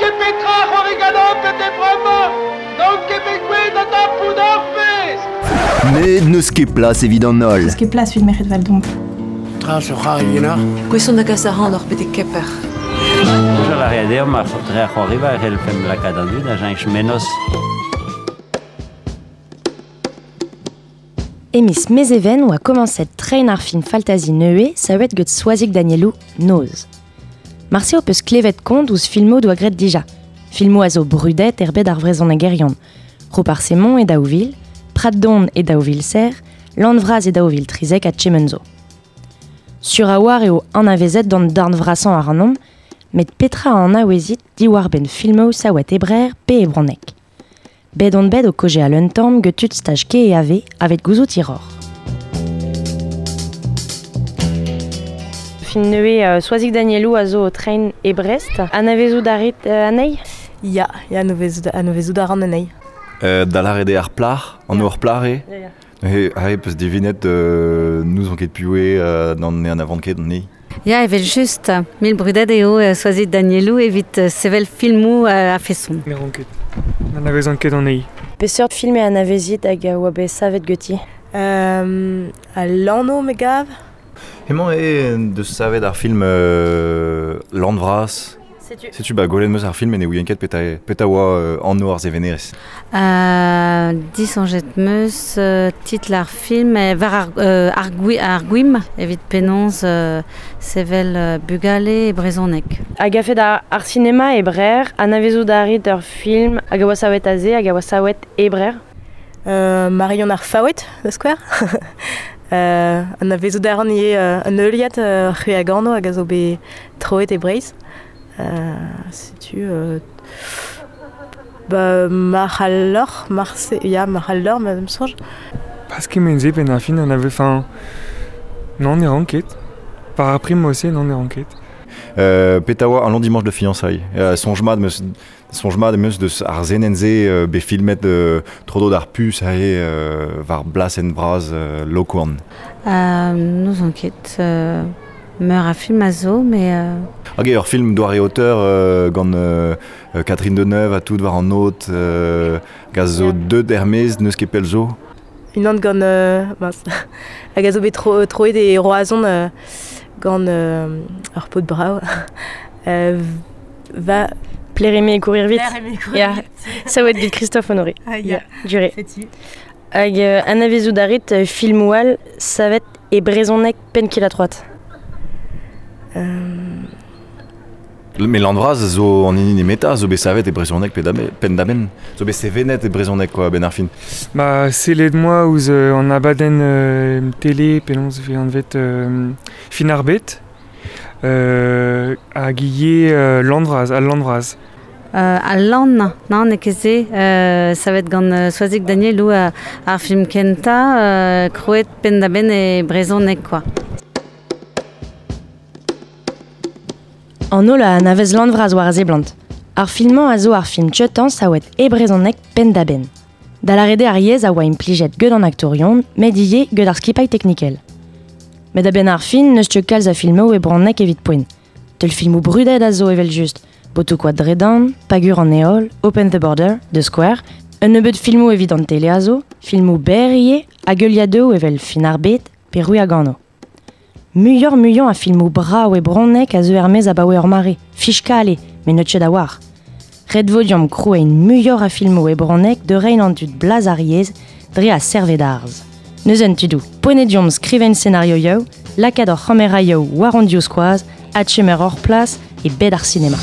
ket petra c'hoari ganeomp bete bremañ, n'on ket bet gouest da dapout ar pezh. Met n'eus ket plas evit an holl. N'eus ket plas evit merc'hed Valdon. Tra zo c'hoari Gouest on da gas ac'hanoc'h betek Kemper. Soñjal a rea deomp ar dre ar c'hoariva e c'hellfemp lakaat an dud da cheñch mennozh. E miz Mezheven oa komañset treiñ ar film faltazi nevez savet get Soazig Danielou, Noz. Marse ho peus klevet kont ouzh filmoù doa graet dija. Filmoù a zo brudet er bed ar vrezhonegerion. Roparz Hemon e 2000, Prat-Don e 2000 Lann Vras e 2013 ha Chemenzo. Sur a-walc'h eo anavezet d'an darn vrasañ ac'hanomp, met petra a anavezit diwar-benn filmoù savet e Brer pe e Bronneg? Bet on bet o kaozeal un tamm get tud staj KEAV aveit gouzout hiroc'h. Fin nevez Soazig Danielou a zo o treiñ e Brest. Anavezout a rit anezhi? Ya, ya, anavezout a ran anezhi. Da lâret eo ar plac'h, an ur plac'h eo. Neuze aze 'peus divinet n'ouzon ket piv eo n'an anavan ket anezhi. Ya, evel-just. Mil brudet eo Soazig Danielou evit sevel filmoù a-feson. Ne ran ket. N'anavezan ket anezhi. Peseurt film e anavezit hag a oa bet savet ganti? Al Lanv, me gav. Hemañ eo en deus savet ar film Lann Vras. Setu. Setu ba gwelet 'm eus ar film met ne ouien ket petra petra oa anv ar sevenerez. Disoñjet 'm eus titl ar film war ar, ar, ar gwim evit penaos sevel bugale e brezhoneg. Hag a-fet ar sinema e Brer, anavezout a rit ur film hag a oa savet aze hag a oa savet e Brer? Marion ar Faoued, da skouer. Anavezout a ran ivez un heuliad C'hwi a gano hag a zo bet troet e Breizh. Setu ba marc'h al loc'h marse ya marc'h al loc'h ma 'm soñj. Pas kement-se benn ar fin anave enfin non ne ran ket. Par ar prim aussi non ne ran ket. Petra oa un long dimanche de fiançailles. Soñj mat 'm eus soñj mat em eus deus ar senenn-se bet filmet tro-dro d'ar puñs aze war blasenn vras Lokourn. N'ouzon ket. Meur a film a zo, mais... Hag eo ur film doare auteur gant Catherine Deneuve ha tout war an aod hag a zo deuet er-maez n'eus ket pell zo. Unan gant mince hag a zo bet troet e Roazhon gant ur paotr brav. Va Plaire aimer et courir vite. Plaire aimer et courir Ya, vite. savet get Christophe Honoré. Ah, ya. Duré. Setu. Hag anavezout a rit filmoù all savet e brezhoneg penn-kil-ha-troad? Met Lann Vras zo an hini nemetañ zo bet savet e brezhoneg penn-da-benn. Zo bet sevenet e brezhoneg quoi, a-benn ar fin. Ba, sellet 'moa ouzh an abadenn tele penaos e vez anvet Fin ar bed hag ivez Lann Vras, al Lann Vras. Al Lann, non, n'eo ket se. Savet gant Soazig Danielou ar film kentañ, krouet penn-da-benn e brezhoneg quoi. An holl a anavez Lann Vras war a seblant. Ar film-mañ a zo ar film tieutañ savet e brezhoneg penn-da-benn. Da lâret eo ar yezh a oa implijet get an aktourion, met ivez get ar skipailh teknikel. Met a-benn ar fin n'eus ket kalz a filmoù e bronneg evit poent. Teulfilmoù brudet a zo evel-just, Botoù-koad Dredan, Pagur an Heol, Open the Border, The Square, un nebeud filmoù evit an tele a zo, filmoù berr ivez, hag heuliadoù evel Fin ar bed pe Rui a gano. Muioc'h-muiañ a filmoù brav e bronneg a zeu er-maez abaoe ur mare, fiskal eo, met n'eus ket a-walc'h. Ret vo deomp krouiñ muioc'h a filmoù e bronneg da reiñ an dud blaz ar yezh dre ar served-arz. Neuze tudoù, poent eo deomp skrivañ senarioioù, lakaat hor c'hameraioù war hon divskoaz, adkemer hor plas e bed ar sinema.